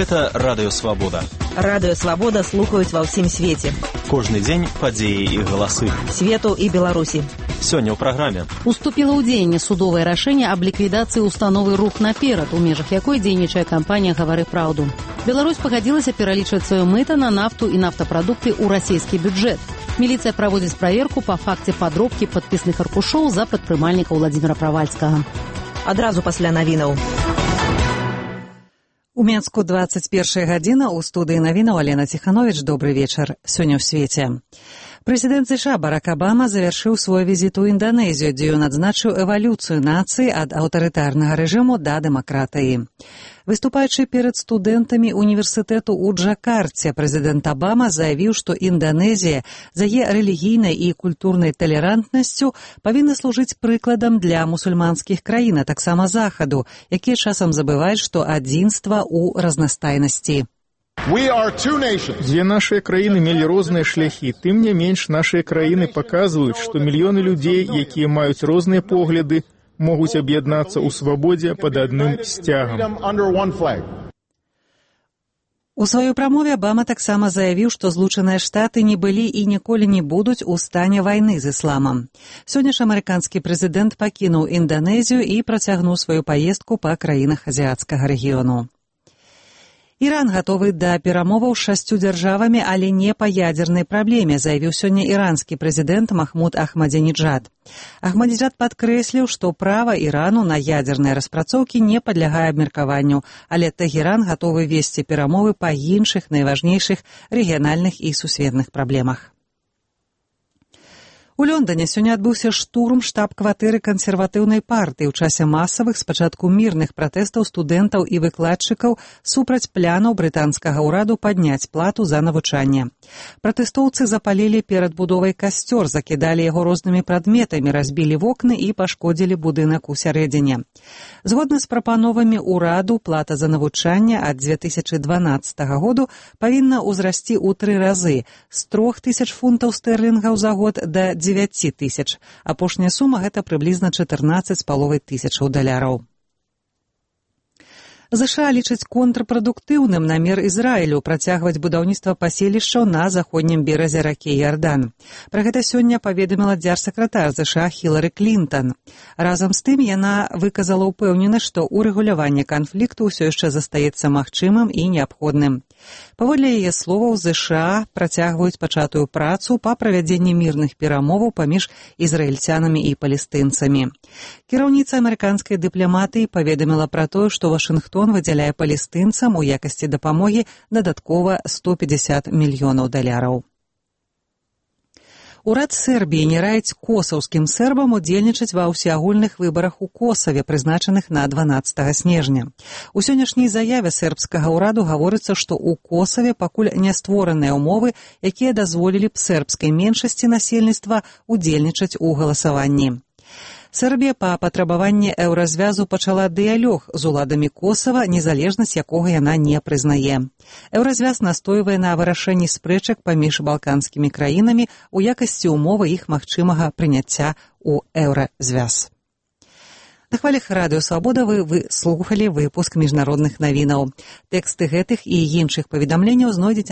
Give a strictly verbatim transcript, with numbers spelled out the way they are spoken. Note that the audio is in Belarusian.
Гэта Радыё Свабода. Радыё Свабода слухаюць ва ўсім свеце. Кожны дзень падзеі і галасы. Свету і Беларусі. Сёння ў праграме. Уступіла ў дзеянне судовае рашэнне аб ліквідацыі установы «Рух наперад», у межах якой дзейнічае кампанія «Гавары праўду». Беларусь пагадзілася пералічваць сваё мыта на нафту і нафтапрадукты ў расійскі бюджэт. Міліцыя праводзіць праверку па факце падробкі падпісных аркушоў за прадпрымальніка Владзіміра Правальскага. Адразу пасля навінаў. У Менску двадцать першая гадзіна, у студыі навінаў Алена Ціхановіч. Добры вечар. Сёння ў свеце. Прэзідэнт США Барак Абама завяршыў свой візіт у Інданезію, дзе ён адзначыў эвалюцыю нацыі ад аўтарытарнага рэжыму да дэмакратыі. Выступаючы перад студэнтамі універсітэту ў Джакарце, прэзідэнт Абама заявіў, што Інданезія за яе рэлігійнай і культурнай талерантнасцю павінна служыць прыкладам для мусульманскіх краін, а таксама Захаду, якія часам забываюць, што адзінства ў разнастайнасці. Дзве нашыя краіны мелі розныя шляхі, тым не менш нашыя краіны паказваюць, што мільёны людзей, якія маюць розныя погляды, могуць аб'яднацца ў свабодзе пад адным сцягам. У сваёй прамове Абама таксама заявіў, што Злучаныя Штаты не былі і ніколі не будуць у стане вайны з ісламам. Сёння ж амерыканскі прэзідэнт пакінуў Інданезію і працягнуў сваю паездку па краінах азіяцкага рэгіёну. Іран гатовы да перамоваў з шасцю дзяржавамі, але не па ядзернай праблеме, заявіў сёння іранскі прэзідэнт Махмуд Ахмадзінеджад. Ахмадзінеджад падкрэсліў, што права Ірану на ядзерныя распрацоўкі не падлягае абмеркаванню, але Тэгеран гатовы весці перамовы па іншых найважнейшых рэгіянальных і сусветных праблемах. У Лондоне сёння адбыўся штурм штаб-кватэры кансерватыўнай партыі ў часе масавых, спачатку мірных пратэстаў студэнтаў і выкладчыкаў супраць планаў брытанскага ўраду падняць плату за навучанне. Пратэстоўцы запалілі перад будовай касцёр, закідалі яго рознымі прадметамі, разбілі вокны і пашкодзілі будынак у сярэдзіне. Згодна з прапановамі ўраду, плата за навучанне ад дзве тысячы дванаццатага году павінна ўзрасці ў тры разы з трох тысяч фунтаў стэрлінгаў за год да дзевяці тысяч. Апошняя сума – гэта прыблізна чатырнаццаць з паловай тысячаў даляраў. ЗША лічыць контрпрадуктыўным намер Ізраілю працягваць будаўніцтва паселішчаў на заходнім беразе ракі Ярдан. Пра гэта сёння паведаміла дзяржсакратар ЗША Хілары Клінтан. Разам з тым яна выказала ўпэўненасць, што ўрэгуляванне канфлікту ўсё яшчэ застаецца магчымым і неабходным. Паводле яе словаў, ЗША працягваюць пачатую працу па правядзенні мірных перамоваў паміж ізраільцянамі і палестынцамі. Кіраўніца амерыканскай дыпламатыі паведаміла пра тое, што Вашынгтон выдзяляе палестынцам у якасці дапамогі дадаткова сто пятьдесят мільёнаў даляраў. Урад Сербіі не раіць косаўскім сербам удзельнічаць ва ўсеагульных выбарах у Косаве, прызначаных на дванаццатага снежня. У сённяшняй заяве сербскага ўраду гаворыцца, што ў Косаве пакуль не створаныя ўмовы, якія дазволілі б сербскай меншасці насельніцтва удзельнічаць у галасаванні. Сербія па патрабаванні еўразвязу пачала дыялог з уладамі Косава, незалежнасць якога яна не прызнае. Еўразвяз настойвае на вырашэнні спрэчак паміж балканскімі краінамі у якасці ўмовы іх магчымага прыняцця ў еўразвяз. На хвалях Радыё Свабода вы, вы слухалі выпуск міжнародных навінаў. Тэксты гэтых і іншых паведамленняў знойдзеце